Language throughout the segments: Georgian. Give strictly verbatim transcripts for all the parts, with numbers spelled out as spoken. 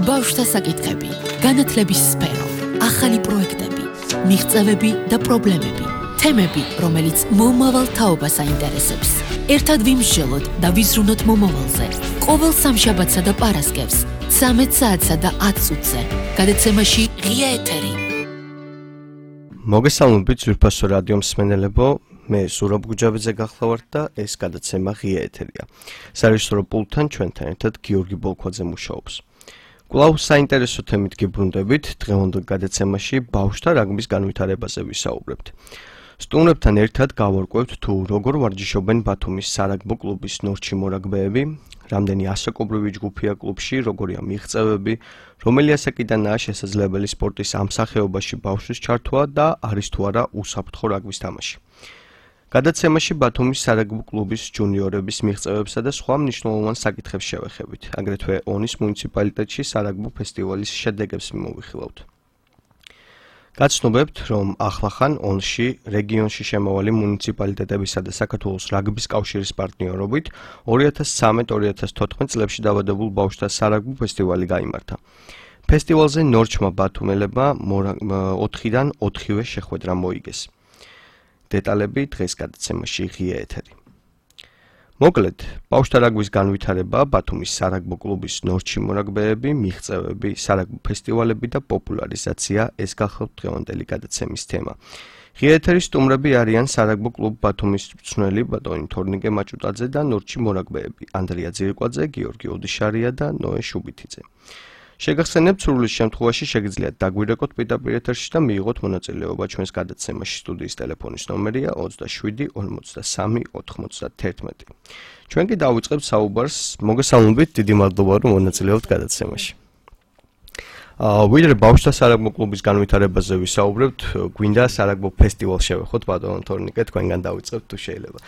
ბავშვთა საკითხები, განათლების სფერო, ახალი პროექტები, მიღწევები და პრობლემები, თემები, რომელიც მომავალ თაობას აინტერესებს. ერთად ვიმსჯელოთ და ვიზრუნოთ მომავალზე. ყოველ სამშაბათსა და პარასკევს, ცამეტ საათსა და ათ წუთზე, გადაცემაში ღია ეთერი. მოგესალმებით ძვირფასო რადიო მსმენელებო, მე ზურაბ გუჯაბიძე გახლავართ და ეს გადაცემა ღია ეთერია. სარეჟისორო პულტთან ჩვენთან ერთად გიორგი ბოლქვაძე მუშაობს. კვლავ საინტერესო თემით გიბრუნდებით, დღევანდელ გადაცემაში ბავშვთა რაგბის განვითარებაზე ვისაუბრებთ. სტუმრებთან ერთად გავარკვევთ თუ როგორ ვარჯიშობენ ბათუმის სარაგბო კლუბის ნორჩი მორაგბეები, რამდენი ასაკობრივი ჯგუფია კლუბში, როგორია მიღწევები, რომელი ასაკიდანაა შესაძლებელი სპორტის ამ სახეობაში ბავშვის ჩართვა და არის თუ არა უსაფრთხო რაგბის თამაში. გადაცემაში ბათუმის სარაგბო კლუბის ჯუნიორების მიღწევებსა და სხვა მნიშვნელოვან საკითხებს შევეხებით. აგრეთვე ონის მუნიციპალიტეტში სარაგბო ფესტივალის შედეგებს მოვიხილავთ. გაცნობებთ, რომ ახლახან ონში რეგიონში შემავალი მუნიციპალიტეტებისა და საქართველოს რაგბის კავშირის პარტნიორობით ორი ათას ცამეტ ორი ათას თოთხმეტ წლებში დავადებულ ბავშვთა სარაგბო ფესტივალი გაიმართა. ფესტივალზე ნორჩმა ბათუმელებმა ოთხიდან ოთხივე შეხვედრა მოიგეს. დეტალები დღეს გადაცემაში ღია ეთერი. მოკლედ, ბავშვთა რაგბის განვითარება, ბათუმის სარაგბო კლუბის ნორჩი მორაგბეები, მიღწევები, სარაგბო ფესტივალები და პოპულარიზაცია ეს გახლავთ დღევანდელი გადაცემის თემა. ღია ეთერის სტუმრები არიან სარაგბო კლუბ ბათუმის მწვრთნელი ბატონი თორნიკე მაჭუტაძე და ნორჩი მორაგბეები ანდრია ძირკვაძე, გიორგი ოდიშარია და ნოე შუბითიძე. შეგახსენებთ, სურვილის შემთხვევაში შეგიძლიათ დაგვირეკოთ პირდაპირ ეთერში და მიიღოთ მონაწილეობა ჩვენს გადაცემაში. სტუდიის ტელეფონის ნომერია ოცდაშვიდი ორმოცდასამი ოთხმოცდაათერთმეტი. ჩვენ კი დავიწყებთ საუბარს. მოგესალმებით, დიდი მადლობა რომ მონაწილეობთ გადაცემაში. ვიდრე ბავშვთა სარაგბო კლუბის განვითარებაზე ვისაუბრებთ, გვინდა სარაგბო ფესტივალს შევეხოთ ბატონ თორნიკე, თქვენგან დავიწყებთ თუ შეიძლება.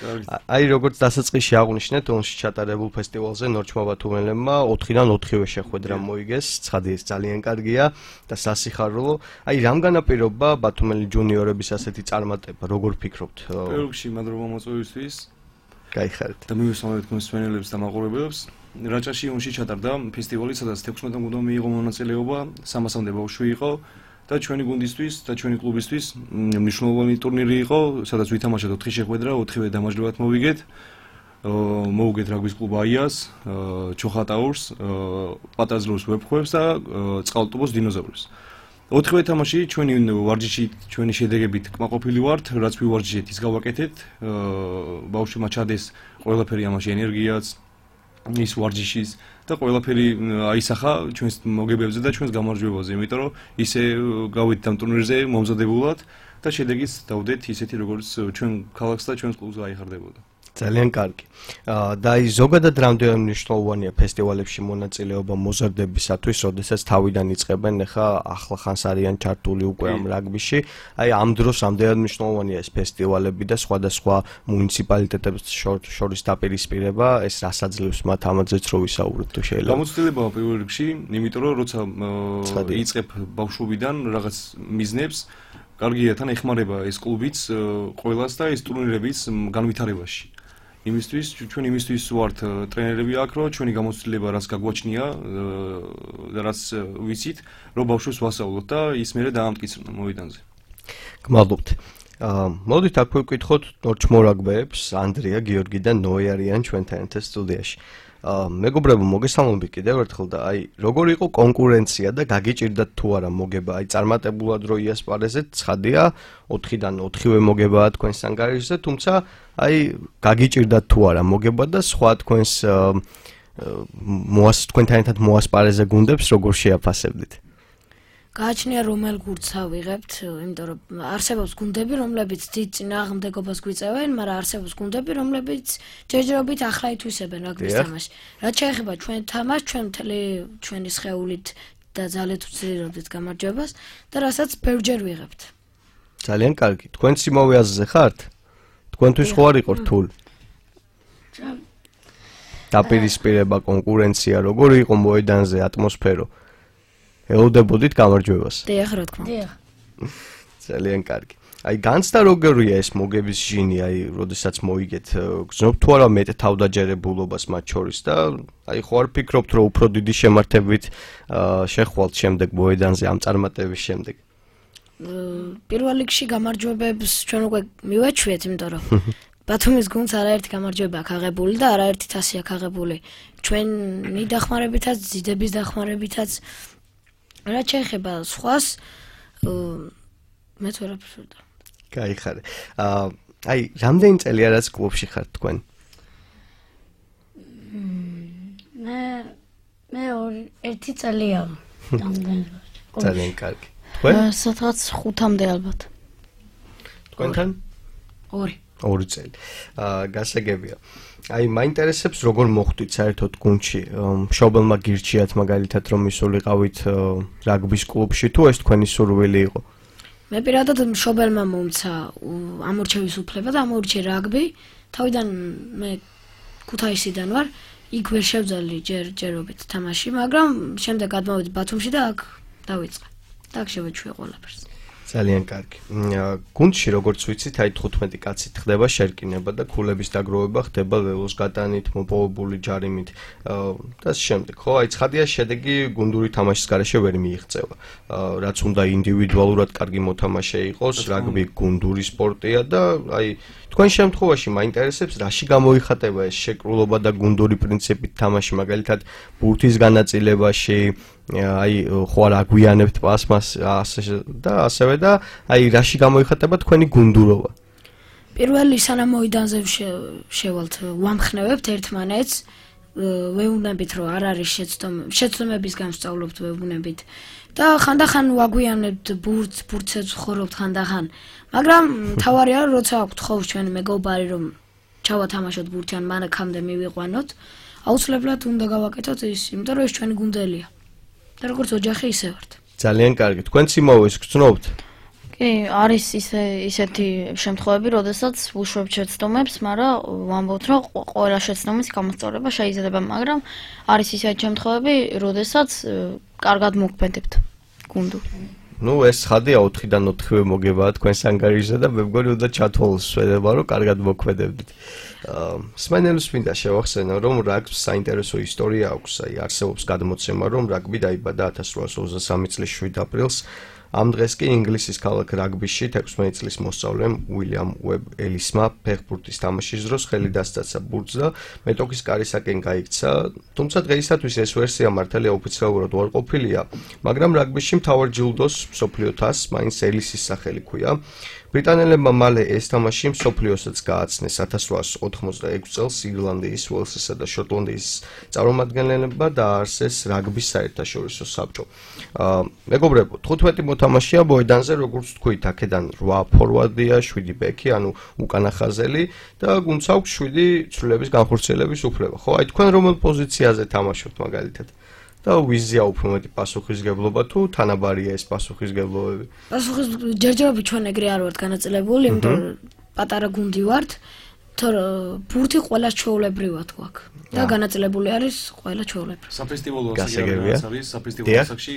აი როგორც დასაწყისში აღვნიშნეთ, ონში ჩატარებულ ფესტივალზე ნორჩმა ბათუმელებმა ოთხიდან ოთხივე შეხვედრა მოიგეს, ცხადი ეს ძალიან კარგია და სასიხარულო. აი რამ განაპირობა ბათუმელი ჯუნიორების ასეთი წარმატება, როგორ ფიქრობთ? პირველ რიგში მადლობა მოწვევისთვის. გაიხარეთ. და მივესალმებით თქვენს მსმენელებს და მაყურებელებს. რაჭაში ონში ჩატარდა ფესტივალი, სადაც თექვსმეტ გუნდმა მიიღო მონაწილეობა, სამასამდე ბავშვი იყო და ჩვენი გუნდისთვის და ჩვენი კლუბისთვის მნიშვნელოვანი ტურნირი იყო, სადაც ვითამაშეთ ოთხი შეხვედრა, ოთხივე დამაჯერებლად მოვიგეთ. მოვუგეთ რაგბის კლუბ აიას, ჩოხატაურს, პატაზროს ვეფხვევს და წყალტუბოს დინოზავრებს. ოთხივე თამაში ჩვენი ვარჯიში, ჩვენი შედეგებით კმაყოფილი ვართ, რაც ვივარჯიშეთ, ის გავაკეთეთ. ბავშვებმა ჩადეს ყველაფერი ამაში ენერგიაც, ის ვარჯიშის და ყველაფერი აისახა ჩვენს მოგებებზე და ჩვენს გამარჯვებაზე, იმიტომ რომ ისე გავედით ამ ტურნირზე მომზადებულად და შედეგიც დავდეთ ისეთი, როგორც ჩვენ ქალაქს და ჩვენს კლუბს აიხარდებოდა. ძალიან კარგი. და აი ზოგადად რამდენად მნიშვნელოვანია ფესტივალებში მონაწილეობა მოზარდებისათვის, როდესაც თავიდან იწყებენ, ეხა ახლახანს არიან ჩართული უკვე ამ რაგბიში. აი ამ დროს რამდენად მნიშვნელოვანია ეს ფესტივალები და სხვადასხვა მუნიციპალიტეტებს შორის დაპირისპირება, ეს რასაძლევს მათ ამაზეც რო ვისაუბროთ თუ შეიძლება. გამოცდილებაა პირველ რიგში, იმიტომ რომ როცა იწყებ ბავშვობიდან რაღაც მიზნებს, კარგია თან ეხმარება ეს კლუბიც ყველას და ეს ტურნირებიც განვითარებაში. იმისთვის ჩვენ იმისთვის ვართ ტრენერები აქ, რომ ჩვენი გამოცდილება რაც გაგვაჩნია და რაც ვიცით, რომ ბავშვებს ვასწავლოთ და ის მერე დაამტკიცრნა მოედანზე. გმადლობთ. მოდით აქ ვიკითხოთ ნორჩ მორაგბეებს, ანდრია, გიორგი და ნოე არიან ჩვენთან ერთად სტუდიაში. მეგობრებო, მოგესალმებით კიდევ ერთხელ და აი როგორ იყო კონკურენცია და გაგიჭირდათ თუ არა მოგება? აი წარმატებულად რო იასპარეზეთ, ცხადია, ოთხიდან ოთხივე მოგებაა თქვენს ანგარიშზე, თუმცა აი გაგიჭირდათ თუ არა მოგება და სხვა თქვენს მოას თქვენთან ერთად მოასპარეზე გუნდებს როგორ შეაფასებდით? გააჩნია რომელ გუნდს ავიღებთ, იმიტომ რომ არსებობს გუნდები, რომლებიც დიდ წინააღმდეგობას გვიწევენ, მაგრამ არსებობს გუნდები, რომლებიც ჯერჯერობით ახლა ითვისებენ რაგბის თამაშს. რაც შეეხება ჩვენ თამაშს, ჩვენ მთელი ჩვენი სხეულით და ძალით ვცდილობთ გამარჯვებას და რასაც ბევრჯერ ვიღებთ. ძალიან კარგი. თქვენ იმავე აზრზე ხართ? თქვენთვის ხო არ იყო რთული? დაპირისპირება, კონკურენცია, როგორი იყო მოედანზე ატმოსფერო? ელოდებოდით გამარჯვებას? დიახ, რა თქმა უნდა. ძალიან კარგი. აი განცდა როგორია ეს მოგების ჟინი, აი როდესაც მოიგეთ, გრძნობ თუ არა მეტ თავდაჯერებულობას მათ შორის და აი ხო არ ფიქრობთ რომ უფრო დიდი შემართებით შეხვალთ შემდეგ მოედანზე ამ წარმატების შემდეგ? პირველ რიგში გამარჯვებებს ჩვენ უკვე მივაჩვიეთ, იმიტომ რომ ბათუმის გუნდს არაერთი გამარჯვება აქვს აღებული და არაერთი თასი აქვს აღებული. ჩვენი დახმარებითაც, ძიდების დახმარებითაც. რაც შეეხება სხვას, მეც ვერაფერს ვერ დავ. გაიხარე. აი, რამდენი წელი არის კლუბში ხართ თქვენ? მე მე ერთი წელია. ძალიან კარგი. თქვენ? სადღაც ხუთამდე ალბათ. თქვენთან? ორი. ორი წელი. აა გასაგებია. აი, მაინტერესებს როგორ მოხვდით საერთოდ გუნდში? მშობელმა გირჩიათ მაგალითად რომ ისულიყავით რაგბის კლუბში თუ ეს თქვენი სურვილი იყო? მე პირადად მშობელმა მომცა ამორჩევის უფლება და ამორჩე რაგბი. თავიდან მე ქუთაისიდან ვარ, იქ ვერ შევძალი ჯერ ჯერობით თამაში, მაგრამ შემდეგ გადმოვედი ბათუმში და აქ დავიწყე. და აქ შევეჩვიე ყველაფერს. ძალიან კარგი. გუნდში როგორც ვიცით, აი თხუთმეტი კაცით ხდება შერკინება და ქულების დაგროვება ხდება ლელოს გატანით, მოპოვებული ჯარიმით და შემდეგ. ხო, აი ცხადია შედეგი გუნდური თამაშის გარეშე ვერ მიიღწევა. რაც უნდა ინდივიდუალურად კარგი მოთამაშე იყოს, რაგბი გუნდური სპორტია და აი თქვენ შემთხვევაში მაინტერესებს რაში გამოიხატება ეს შეკრულობა და გუნდური პრინციპით თამაში, მაგალითად ბურთის განაწილებაში, აი ხო არ აგვიანებთ პასმას და ასევე და აი რაში გამოიხატება თქვენი გუნდურობა? პირველი სანამ მოედანზე შევალთ, ვამხნევებთ ერთმანეთს, ვეუბნებით რომ არ არის შეცდომების განსწავლობთ ვეუბნებით და ხანდახან ვაგვიანებთ ბურთს, ბურთებს ვხორობთ ხანდახან, მაგრამ თავარია რომ როცა აქვთ ხოლმე ჩვენი მეგობარი რომ ჩავათამაშოთ ბურთი ან მანქამდე მივიყვანოთ, აუცილებლად უნდა გავაკეთოთ ის, იმიტომ რომ ეს ჩვენი გუნდელია. და როგორც ოჯახი ისე ვართ. ძალიან კარგი. თქვენც იმავეს გრძნობთ? კი, არის ისე ისეთი შემთხვევები, როდესაც ვუშვებთ შეცდომებს, მაგრამ ვამბობთ, რომ ყველა შეცდომის გამოსწორება შეიძლება, მაგრამ არის ისეთი შემთხვევები, როდესაც კარგად მოგვქმედებთ გუნდურ. ნუ ეს ხადია ოთხიდან ოთხივე მოგებაა თქვენს ანგარიშზე და მე მგონი უნდა ჩათვალოს შედება, რომ კარგად მოქმედებდით. სმენელს მინდა შევახსენო, რომ რაგბის საინტერესო ისტორია აქვს, აი არსებობს გადმოცემა, რომ რაგბი დაიბადა ათას რვაას ოცდასამი წლის შვიდ აპრილს. ამ დღეს კი ინგლისის ქალაქ რაგბიში თექვსმეტი წლის მოსწავლემ უილიამ უებ ელისმა ფეხბურთის თამაშის დროს ხელი დასწაცა ბურთს და მეტოქის კარისაკენ გაიქცა, თუმცა დღეისათვის ეს ვერსია მართალია ოფიციალურად არ ყოფილია, მაგრამ რაგბიში მთავარ ჯილდოს მსოფლიო თასს მაინც ელისის სახელი ჰქვია. ბრიტანელებმა მალე ეს თამაში მსოფლიოსაც გააცნეს ათას რვაას ოთხმოცდაექვსი წელს ირლანდიის, უელსისა და შოტლანდიის წარმომადგენლებმა დააარსეს რაგბის საერთაშორისო საბჭო. მეგობრებო, თხუთმეტი მოთამაშეა მოედანზე, როგორც თქვით, აქედან რვა ფორვარდია, შვიდი ბექი, ანუ უკანა ხაზელი და გუნდს აქვს შვიდი ცვლილების განხორციელების უფლება. ხო, აი თქვენ რომელ პოზიციაზე თამაშობთ მაგალითად? და ვიზია უფრო მეტი პასუხისგებლობა თუ თანაბარია ეს პასუხისგებლობები? პასუხის ჯერჯერობით ჩვენ ეგრე არ ვართ განაწილებული, იმიტომ რომ პატარა გუნდი ვართ, თორე ბურთი ყველა ჩვეულებრივად გვაქვს და განაწილებული არის ყველა ჩვეულებრივ. საფესტივალო ასაკი არის, საფესტივალო ასაკში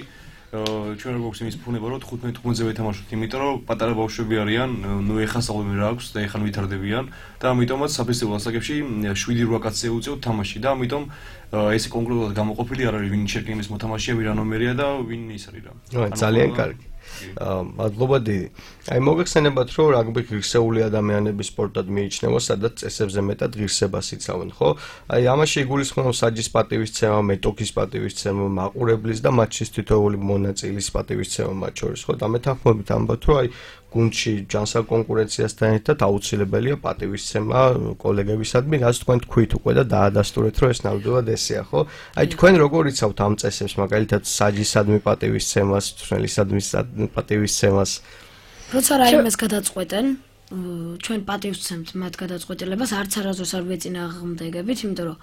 ჩვენ როგორ გვაქვს იმის ფუნება, რომ თხუთმეტი გუნდზე ვეთამაშოთ, იმიტომ რომ პატარა ბავშვები არიან, ნუ ეხა სწავლები რა აქვს და ეხა ვითარდებიან და ამიტომაც საფესტივალო ასაკებში შვიდი რვა კაცს ეუწევთ თამაში და ამიტომ ეს კონკრეტულად გამოყოფილი არ არის ვინ შეკრების მოთამაშეა, ვინ რა ნომერია და ვინ ის არის რა. ძალიან კარგი. მადლობა დიდი. აი მოგეხსენებათ, რომ რაგბი ღირსეული ადამიანების სპორტად მიიჩნევა, სადაც წესებზე მეტად ღირსებას იცავენ, ხო? აი ამაში იგულისხმება საჯის პატივისცემა, მეტოქის პატივისცემა, მაყურებლის და მატჩის თითოეული მონაწილის პატივისცემა მათ შორის, ხო? დამეთანხმებით ამბობთ, რომ აი გუნდში ჯანსაღ კონკურენციასთან ერთად აუცილებელია პატივისცემა კოლეგებისადმი, რაც თქვენ თქვით უკვე და დაადასტურეთ, რომ ეს ნამდვილად ესეა, ხო? აი თქვენ როგორ იცავთ ამ წესებს, მაგალითად საჯისადმი პატივისცემას, თვლისადმი პატივისცემას? როცა რაიმეს გადაწყვეტენ, ჩვენ პატივისცემთ მათ გადაწყვეტილებას, არც არასდროს არ ვეწინააღმდეგებით, იმიტომ რომ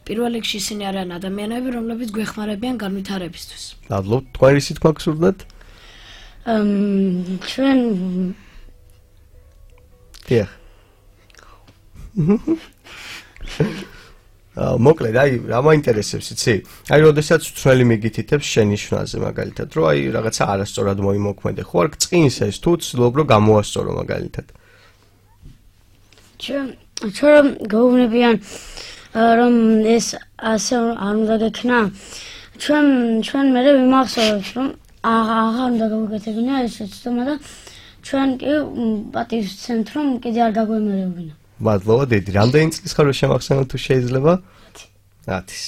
პირველ რიგში ისინი არიან ადამიანები, რომლებიც გვეხმარებიან განვითარებისთვის. მადლობთ, თქვენ რისი თქმა გსურდათ? Um, ჩვენ დიახ. მოკლედ, აი, რა მაინტერესებს, იცი? აი, როდესაც თვლელი მიგითითებს შენი შვაზე მაგალითად, რომ აი რაღაცა არასწორად მოიმოქმედე, ხო არ გწყინს ეს თუ ცდილობ რომ გამოასწორო მაგალითად? ჩვენ ჩვენ გაუვნებიან რომ ეს ასე არ უნდა გექნა. ჩვენ ჩვენ მე ვიმახსოვრებს რომ აღარ უნდა გავუკეთებინა ეს ცდომა და ჩვენ კი პატივს ვცემთ რომ კიდე არ დაგვემერებინა. მადლობა დედი. რამდენი წლის ხარ შემახსენოთ თუ შეიძლება? ათი.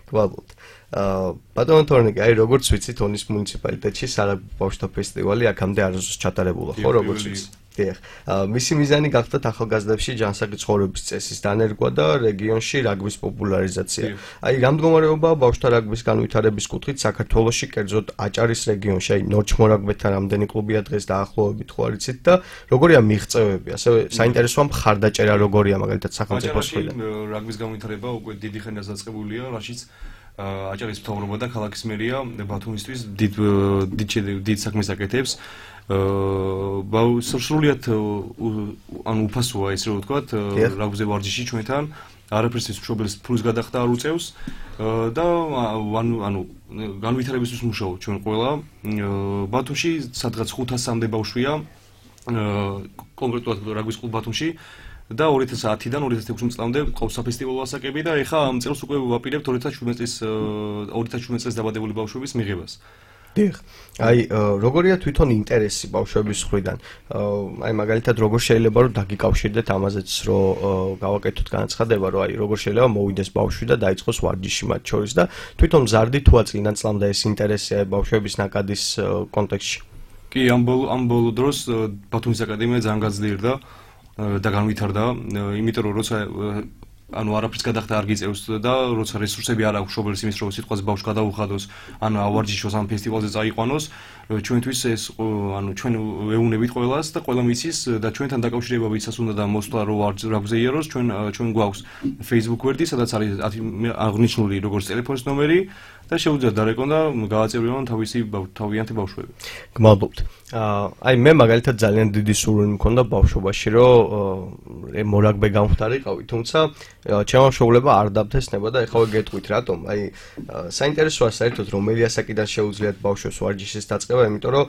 გვალოთ. აა ბატონო თორნიკე, აი როგორც ვიცით, ონის მუნიციპალიტეტში სარაგბო ბავშვთა ფესტივალი აქამდე არასდროს ჩატარებულა, ხო, როგორც ვიცით? დიახ. მისი მიზანი გახდათ ახალგაზრდებში ჯანსაღი ცხოვრების წესის დანერგვა და რეგიონში რაგბის პოპულარიზაცია. აი, რა მდგომარეობაა ბავშვთა რაგბის განვითარების კუთხით საქართველოში, კერძოდ აჭარის რეგიონში, აი ნორჩმორაგბეთა რამდენი კლუბია დღეს დაახლოებით ხო არიცით და როგორია მიღწევები, ასევე საინტერესოა მხარდაჭერა როგორია მაგალითად სახელმწიფოს მხრიდან. რაგბის განვითარება უკვე დიდი ხანია დაწყებულია, რაშიც აჭარის მთავრობა და ქალაქის მერია ბათუმისთვის დიდ დიდ საქმეს აკეთებს. აა სრულიად ანუ უფასოა ეს რო ვთქვათ, რაგბზე ვარჯიში ჩვენთან არაფერს ის მშობელს ფულს გადახდა არ უწევს და ანუ ანუ განვითარებისთვის მუშაობ ჩვენ ყველა. ბათუმში სადღაც ხუთასამდე ბავშვია კონკრეტულად რაგბის კლუბ ბათუმში და ორი ათას ათიდან ორი ათას ექვსი წლამდე ყავს საფესტივალო ასაკები და ეხლა ამ წელს უკვე ვაპირებთ ორი ათას შვიდმეტ წლის ორი ათას შვიდმეტ წელს დაბადებული ბავშვების მიღებას. დიახ. აი, როგორია თვითონ ინტერესი ბავშვების მხრიდან? აი, მაგალითად, როგორ შეიძლება რომ დაგიკავშირდეთ ამაზეც, რომ გავაკეთოთ განაცხადება, რომ აი, როგორ შეიძლება მოვიდეს ბავშვი და დაიწყოს ვარჯიში მათ შორის და თვითონ მზარდი თუ აწლიდან წლამდე ეს ინტერესი ბავშვების ნაკადის კონტექსტში? კი, ამ ბოლო ამ ბოლო დროს ბათუმის აკადემია ძალიან გაძლიერდა და განვითარდა, იმიტომ რომ როცა ანუ არაფერს გადახდა არ გიწევს და როცა რესურსები არ აქვს მშობელს იმის რომ სიტყვაზე ბავშვს გადაუხადოს, ანუ ავარჯიშოს ამ ფესტივალზე წაიყვანოს, ჩვენთვის ეს ანუ ჩვენ ვეუნებით ყველას და ყველა მიცის და ჩვენთან დაკავშირება ვისაც უნდა და მოსვლა რო რაგბზე იაროს, ჩვენ ჩვენ გვაქვს Facebook გვერდი, სადაც არის აღნიშნული როგორც ტელეფონის ნომერი და შეუძლიათ დარეკონ და გააწევრიონ თავისი თავიანთი ბავშვები. გმადლობთ. აი მე მაგალითად ძალიან დიდი სურვილი მქონდა ბავშვობაში, რომ მორაგბე გამხდარიყავი, თუმცა ჩემო მშობლებმა არ დაბთესნება და ეხლა გეტყვით რატომ. აი საინტერესოა საერთოდ რომელი ასაკიდან შეუძლიათ ბავშვებს ვარჯიშის დაწყება, იმიტომ რომ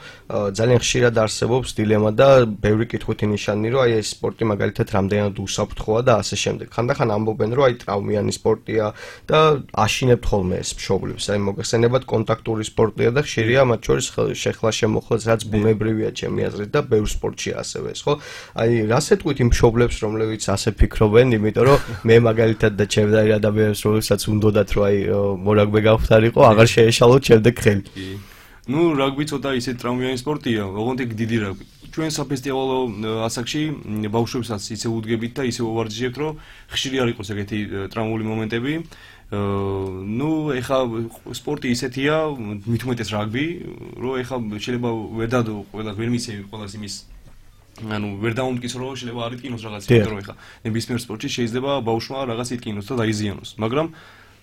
ძალიან ხშირად არსებობს დილემა და ბევრი კითხვითი ნიშანი, რომ აი ეს სპორტი მაგალითად რამდენად უსაფრთხოა და ასე შემდეგ. ხანდახან ამბობენ, რომ აი ტრავმიანი სპორტია და აშინებთ ხოლმე ეს მშობლებს. აი მოგეხსენებათ კონტაქტური სპორტია და ხშირია მათ შორის შეხლა შემოხლაც, რაც ბუნებრივია ჩემი აზრით და ბევრ სპორტშია ასევე ეს, ხო? აი რას ეთქვით იმ მშობლებს, რომლებიც ასე ფიქრობენ, იმიტომ რომ მე მაგალითად და ჩემ და ადამიანებს რომელსაც უნდათ რომ აი მორაგბე გავხდარიყო, აღარ შეეშალოთ შემდეგ ხელი. ნუ რაგბი ცოტა ისეთ ტრავმიანი სპორტია, ოღონდ იქ დიდი რაგბი. ჩვენ საფესტივალო ასაკში ბავშვებსაც ისე უდგებით და ისე ვარჯიშებთ, რომ ხშირი არ იყოს ეგეთი ტრავმული მომენტები. ნუ ეხა სპორტი ისეთია, მით უმეტეს რაგბი, რომ ეხა შეიძლება ვერ დადო ყველა ვერ მიცემი ყველას იმის ანუ ვერ დაუმტკიცო რომ შეიძლება არ იტკინოს რაღაც, იმიტომ რომ ეხა ნებისმიერ სპორტში შეიძლება ბავშვმა რაღაც იტკინოს და დაიზიანოს, მაგრამ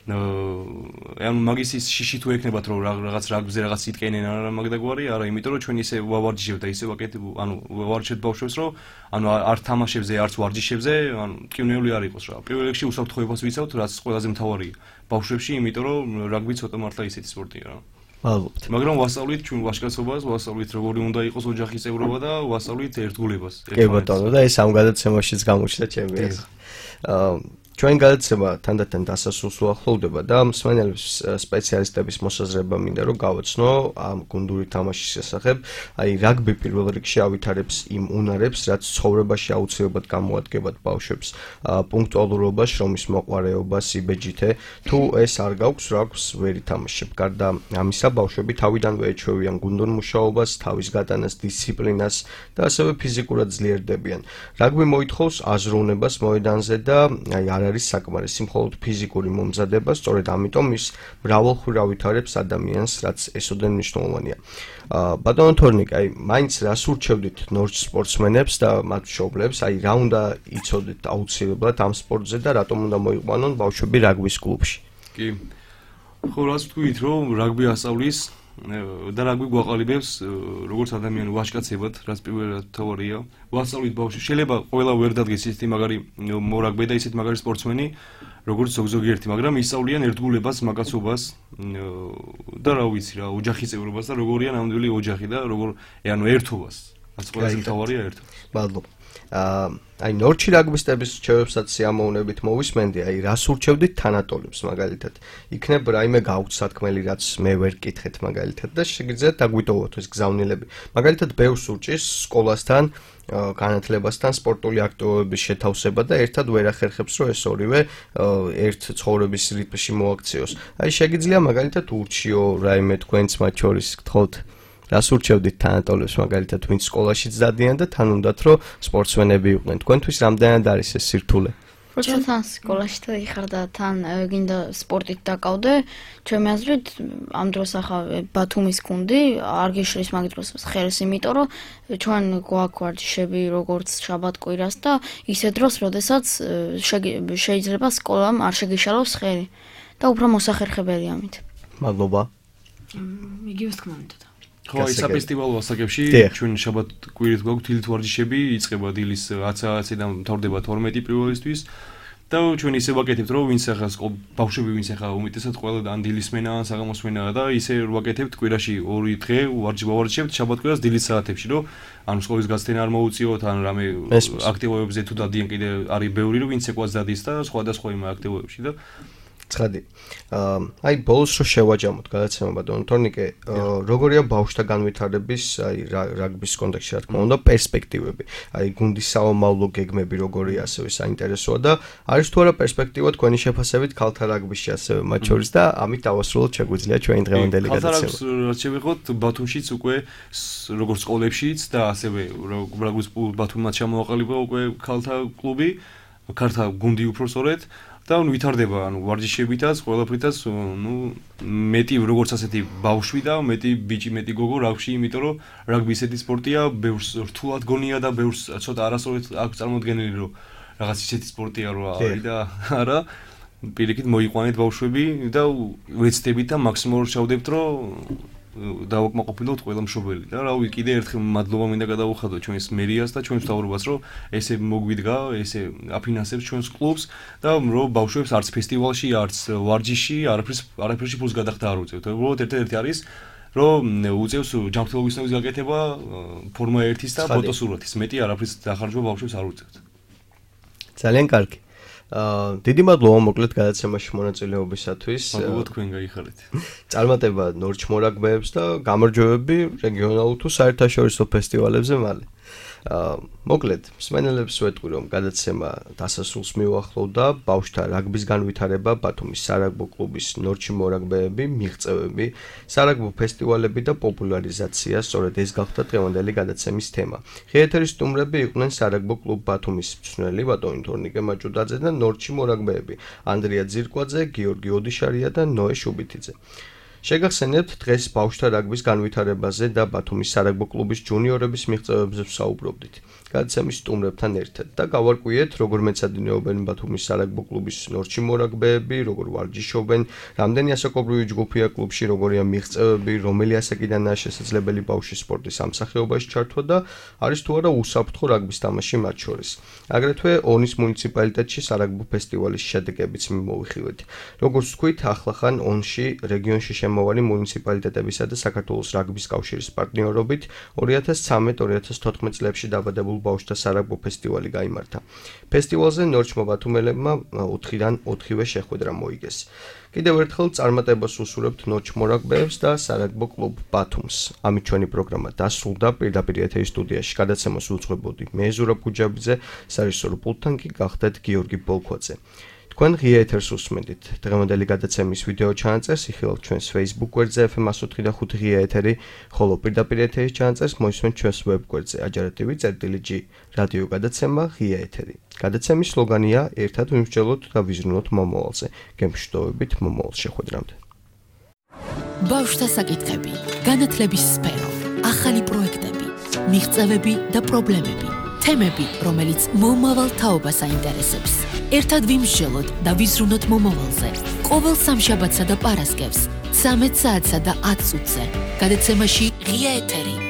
ანუ მაგის ის შიში თუ ეკნებათ რომ რაღაც რაგბზე რაღაც იტკენენ არა მაგდაგვარი, არა, იმიტომ რომ ჩვენ ისე ვავარჯიშებთ და ისე ვაკეთებ, ანუ ვავარჯიშებთ ბავშვებს, რომ ანუ არ თამაშებზე, არც ვარჯიშებზე, ანუ მტკივნეული არ იყოს რა. პირველ რიგში უსაფრთხოებას ვიცავთ, რაც ყველაზე მთავარია ბავშვებში, იმიტომ რომ რაგბი ცოტა მართლა ისეთი სპორტია რა. მადლობთ. მაგრამ ვასწავლით ჩვენ ვაჟკაცობას, ვასწავლით როგორი უნდა იყოს ოჯახის წევრობა და ვასწავლით ერთგულებას. კი ბატონო, და ეს ამ გადაცემაშიც გამოჩნდა ჩემი აზრით. აა ჩვენ გადაცემა თანდათან დასასრულს უახლოვდება და მსმენელებს სპეციალისტების მოსაზრება მინდა რომ გავაცნო ამ გუნდური თამაშის შესახებ. აი რაგბი პირველ რიგში ავითარებს იმ უნარებს, რაც ცხოვრებაში აუცილებლად გამოადგებათ ბავშვებს. პუნქტუალურობა, შრომის მოყვარეობა, სიბეჯითე. თუ ეს არ გაქვს, რა აქვს ვერ ითამაშებ. გარდა ამისა, ბავშვები თავიდანვე ეჩვევიან გუნდურ მუშაობას, თავის გატანას, დისციპლინას და ასევე ფიზიკურად ძლიერდებიან. რაგბი მოითხოვს აზროვნებას მოედანზე და აი არ არის საკმარისი მხოლოდ ფიზიკური მომზადება, სწორედ ამიტომ ის მრავალხრივ ავითარებს ადამიანს, რაც ესოდენ მნიშვნელოვანია. ბატონო თორნიკე, აი მაინც რას ურჩევდით ნორჩ სპორტსმენებს და მათ მშობლებს, აი რა უნდა იცოდეთ აუცილებლად ამ სპორტზე და რატომ უნდა მოიყვანონ ბავშვები რაგბის კლუბში? კი. ხო, რას ვთქვით, რომ რაგბი ასწავლის და რა გვიგვაყალიბებს როგორც ადამიანი ვაჟკაცებად, რაც პირველად თავარია. ვასწავლით ბავშვი, შეიძლება ყველა ვერ დადგეს ისეთი მაგარი მორაგბე და ისეთი მაგარი სპორტსმენი, როგორც ზოგ-ზოგი ერთი, მაგრამ ისწავლიან ერთგულებას, მაკაცობას და რა ვიცი რა, ოჯახის წევრობას და როგორია ნამდვილი ოჯახი და როგორ ანუ ერთობას. რაც ყველაზე მთავარია ერთობა. მადლობა. აა აი ნორჩი რაგბისტების რჩევებსაც სიამოვნებით მოვისმენდი, აი რას ურჩევდით თანატოლებს მაგალითად. იქნებ რაიმე გაუცათქმელი რაც მე ვერ კითხეთ მაგალითად და შეგიძლიათ დაგვიტოვოთ ეს გზავნილები. მაგალითად ბევრს ურჭის სკოლასთან განათლებასთან სპორტული აქტივობების შეთავსება და ერთად ვერ ახერხებს რომ ეს ორივე ერთ ცხოვრების რიტმში მოაქციოს. აი შეგიძლია მაგალითად ურჩიო რაიმე თქვენც მათ შორის გთხოვთ რას ურჩევდით თანატოლებს მაგალითად ვინც სკოლაშიც დადიან და თან უნდათ რომ სპორტსმენები იყვნენ. თქვენთვის რამდენად არის ეს სირთულე? როცა თან სკოლაში ხარ და თან გინდა სპორტით დაკავდე, ჩემი აზრით ამ დროს ახლა ბათუმის გუნდი არ გიშლის მაგ დროს ხელს, იმიტომ რომ ჩვენ გვაქვს ვარჯიშები როგორც შაბათ-კვირას და ისე დროს, როდესაც შეიძლება სკოლამ არ შეგიშალოს ხელი და უფრო მოსახერხებელი ამით. მადლობა. იგივე თქმა უნდა. ხო, ის საფესტივალო ასაკებში ჩვენ შაბათ-კვირით გვაქვს დილით ვარჯიშები, იწყება დილის ათი საათიდან მთავრდება თორმეტი პირველისთვის და ჩვენ ისე ვაკეთებთ, რომ ვინც ახლა ბავშვები ვინც ახლა უმეტესად ყველა ან დილისმენა, ან საღამოსმენაა და ისე ვაკეთებთ კვირაში ორი დღე ვარჯიშებთ შაბათ-კვირას დილის საათებში, რომ ანუ სკოლის გასცენა არ მოუწიოთ, ან რამე აქტივობებზე თუ დადიან კიდე არის ბევრი, რომ ვინც ეკვაც დადის და სხვადასხვა იმ აქტივობებში და ცხადი. აი ბოლოს რო შევაჯამოთ გადაცემა ბატონო თორნიკე, როგორია ბავშვთა განვითარების აი რაგბის კონტექსტში რა თქმა უნდა პერსპექტივები. აი გუნდის საომავლო გეგმები როგორია ასევე საინტერესოა და არის თუ არა პერსპექტივა თქვენი შეფასებით ქალთა რაგბისში ასევე მათ შორის და ამით დავასრულოთ შეგვიძლია ჩვენი დღევანდელი გადაცემა. ქალთა რაგბის შევიღოთ ბათუმშიც უკვე როგორც სკოლებშიც და ასევე რაგბის ბათუმად ჩამოაყალიბა უკვე ქალთა კლუბი, ქალთა გუნდი უფრო სწორედ. და ნუ ვითარდება, ანუ ვარჯიშებითაც, ყველაფრითაც, ნუ მეტი როგორც ასეთი ბავშვი და მეტი ბიჭი, მეტი გოგო რაგბში, იმიტომ რომ რაგბი ისეთი სპორტია, ბევრს რთულად გონია და ბევრს ცოტა არასწორად აქვს წარმოდგენილი, რომ რაღაც ისეთი სპორტია რო არის და არა, პირიქით მოიყვანეთ ბავშვები და ვეცდებით და მაქსიმალურად შევდებთ, რომ დავაკმაყოფილოთ ყველა მშობელი და რავი კიდე ერთხელ მადლობა მინდა გადავუხადო ჩვენს მერიას და ჩვენს მთავრობას რომ ესე მოგვიდგა ესე აფინანსებს ჩვენს კლუბს და რომ ბავშვებს არც ფესტივალში არც ვარჯიში არაფერს არაფერში ფულს გადახდა არ უწევთ. უბრალოდ ერთ-ერთი არის რომ უწევს ჯანმრთელობის გაკეთება ფორმა ერთის და ფოტოსურათის მეტი არაფერს დახარჯვა ბავშვებს არ უწევთ. ძალიან კარგი. აა დიდი მადლობა მოკლედ გადაცემაში მონაწილეობისათვის. მადლობა თქვენ გაიხარეთ. წარმატება ნორჩ მორაგბეებს და გამარჯვებები რეგიონალურ თუ საერთაშორისო ფესტივალებზე მალე. აა მოკლედ მსმენელებს ვეტყვი რომ გადაცემა დასასრულს მიუახლოვდა ბავშვთა რაგბის განვითარება, ბათუმის სარაგბო კლუბის ნორჩი მორაგბეები, მიღწევები, სარაგბო ფესტივალები და პოპულარიზაცია, სწორედ ეს გახდა დღევანდელი გადაცემის თემა. ღიეთერის სტუმრები იყვნენ სარაგბო კლუბ ბათუმის მწვრთნელი ბატონი თორნიკე მაჭუდაძე და ნორჩი მორაგბეები, ანდრია ძირკვაძე, გიორგი ოდიშარია და ნოე შუბითიძე. შეგახსენებთ დღეს ბავშვთა რაგბის განვითარებაზე და ბათუმის სარაგბო კლუბის ჯუნიორების მიღწევებზე ვსაუბრობდით. გადაცემის სტუმრებთან ერთად და გავარკვიეთ როგორ მეცადინეობენ ბათუმის სარაგბო კლუბის ნორჩი მორაგბეები, როგორ ვარჯიშობენ, რამდენი ასაკობრივი ჯგუფია კლუბში, როგორია მიღწევები, რომელი ასაკიდანაა შესაძლებელი ბავშვის სპორტის ამ სახეობაში ჩართვა და არის თუ არა უსაფრთხო რაგბის თამაში მათ შორის. აგრეთვე ონის მუნიციპალიტეტში სარაგბო ფესტივალის შედეგებიც მოვიხილეთ. როგორც თქვით, ახლახან ონში რეგიონში შემოვალი მუნიციპალიტეტებისა და საქართველოს რაგბის კავშირის პარტნიორობით ორი ათას ცხრამეტ ორი ათას თოთხმეტ წლებში დაბადებულ ბავშვთა სარაგბო ფესტივალი გაიმართა. ფესტივალზე ნორჩმა ბათუმელებმა ოთხიდან ოთხივე შეხვედრა მოიგეს. კიდევ ერთხელ წარმატებას უსურვებთ ნორჩ მორაგბეებს და სარაგბო კლუბ ბათუმს. ამით ჩვენი პროგრამა დასრულდა. პირდაპირ ეთერის სტუდიაში გადაცემას უძღვებოდი მე ზურაბ გუჯაბიძე, სარეჟისორო პულტთან კი გახდათ გიორგი ბოლქვაძე. თქვენ ღია ეთერს უსმენთ. დღევანდელი გადაცემის ვიდეო ჩანაწერს იხილავთ ჩვენს Facebook გვერდზე ეფ ემ εκατო ოთხი და ხუთი ღია ეთერი, ხოლო პირდაპირ ეთერის ჩანაწერს მოისმენთ ჩვენს ვებ გვერდზე აჯარა.tv წერტილი ჯი რადიო გადაცემა ღია ეთერი. გადაცემის სლოგანია ერთად ვიმსჯელოთ და ვიზრუნოთ მომავალზე. გემშვიდობებით მომავალ შეხვედრამდე. ბავშვთა საკითხები, განათლების სფერო, ახალი პროექტები, მიღწევები და პრობლემები. თემები, რომელიც მომავალ თაობას აინტერესებს. ერთად ვიმსჯელოთ და ვიზრუნოთ მომავალზე. ყოველ სამშაბათსა და პარასკევს ცამეტ საათსა და ათ წუთზე. გადაცემაში ღია ეთერი.